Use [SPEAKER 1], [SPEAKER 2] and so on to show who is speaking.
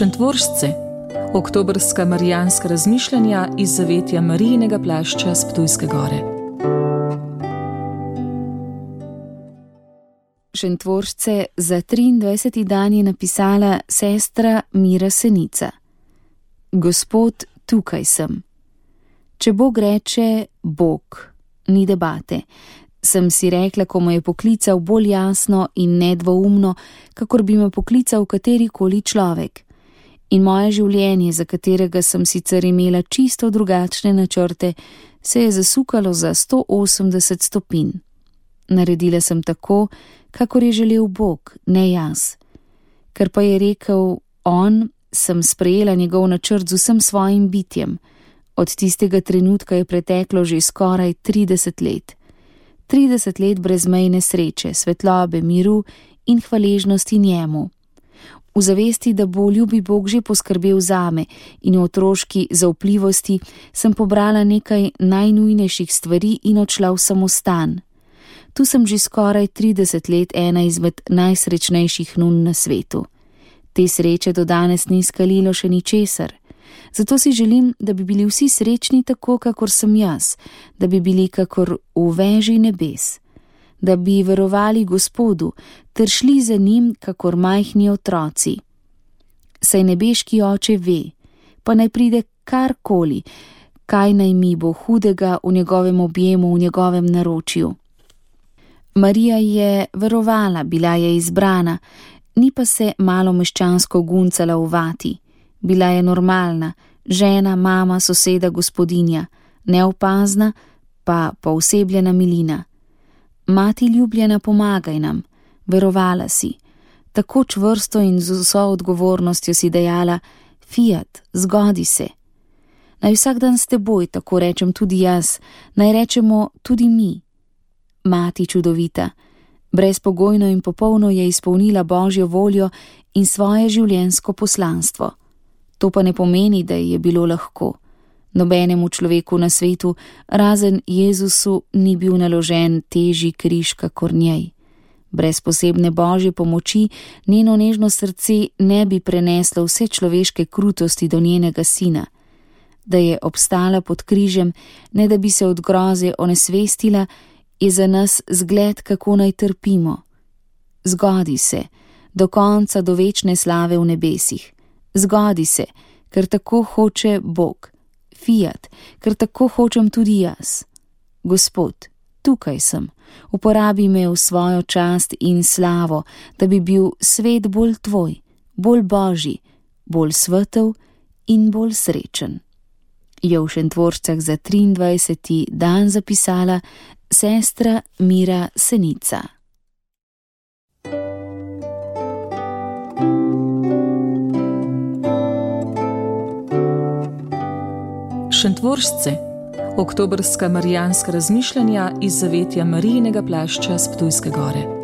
[SPEAKER 1] Šentvoržce, oktobrska marijanska razmišljanja iz zavetja Marijinega plašča s Ptujske gore.
[SPEAKER 2] Šentvoržce za 23. dan je napisala sestra Mira Senica. Gospod, tukaj sem. Če Bog reče Bog, ni debate, sem si rekla, ko me je poklical bolj jasno in nedvoumno, kakor bi me poklical katerikoli človek. In moje življenje, za katerega sem sicer imela čisto drugačne načrte, se je zasukalo za 180 stopinj. Naredila sem tako, kakor je želel Bog, ne jaz. Ker pa je rekel on, sem sprejela njegov načrt z vsem svojim bitjem. Od tistega trenutka je preteklo že skoraj 30 let. 30 let brezmejne sreče, svetlobe, miru in hvaležnosti njemu. V zavesti, da bo ljubi Bog že poskrbel zame in v otroški zaupljivosti sem pobrala nekaj najnujnejših stvari in odšla v samostan. Tu sem že skoraj 30 let ena izmed najsrečnejših nun na svetu. Te sreče do danes ni skalilo še ničesar. Zato si želim, da bi bili vsi srečni tako, kakor sem jaz, da bi bili kakor v veži nebes, da bi verovali Gospodu ter šli za njim, kakor majhni otroci. Saj nebeški oče ve, pa naj pride karkoli, kaj naj mi bo hudega v njegovem objemu, v njegovem naročju. Marija je verovala, bila je izbrana, ni pa se malo meščansko guncala v vati. Bila je normalna, žena, mama, soseda, gospodinja, neopazna, pa poosebljena milina. Mati ljubljena, pomagaj nam, verovala si. Tako čvrsto in z vso odgovornostjo si dejala, Fiat, zgodi se. Naj vsak dan s teboj, tako rečem tudi jaz, naj rečemo tudi mi. Mati čudovita, brezpogojno in popolno je izpolnila Božjo voljo in svoje življenjsko poslanstvo. To pa ne pomeni, da je bilo lahko. Nobenemu človeku na svetu, razen Jezusu, ni bil naložen težji križ kakor njej. Brez posebne Božje pomoči njeno nežno srce ne bi preneslo vse človeške krutosti do njenega sina. Da je obstala pod križem, ne da bi se od groze onesvestila, je za nas zgled, kako naj trpimo. Zgodi se, do konca, do večne slave v nebesih. Zgodi se, ker tako hoče Bog. Fiat, ker tako hočem tudi jaz. Gospod, tukaj sem, uporabi me v svojo čast in slavo, da bi bil svet bolj tvoj, bolj božji, bolj svetel in bolj srečen. Je v Šentvoržcah za 23. dan zapisala sestra Mira Senica.
[SPEAKER 1] Šentvoržce, oktobrska marijanska razmišljanja iz zavetja Marijinega plašča s Ptujske gore.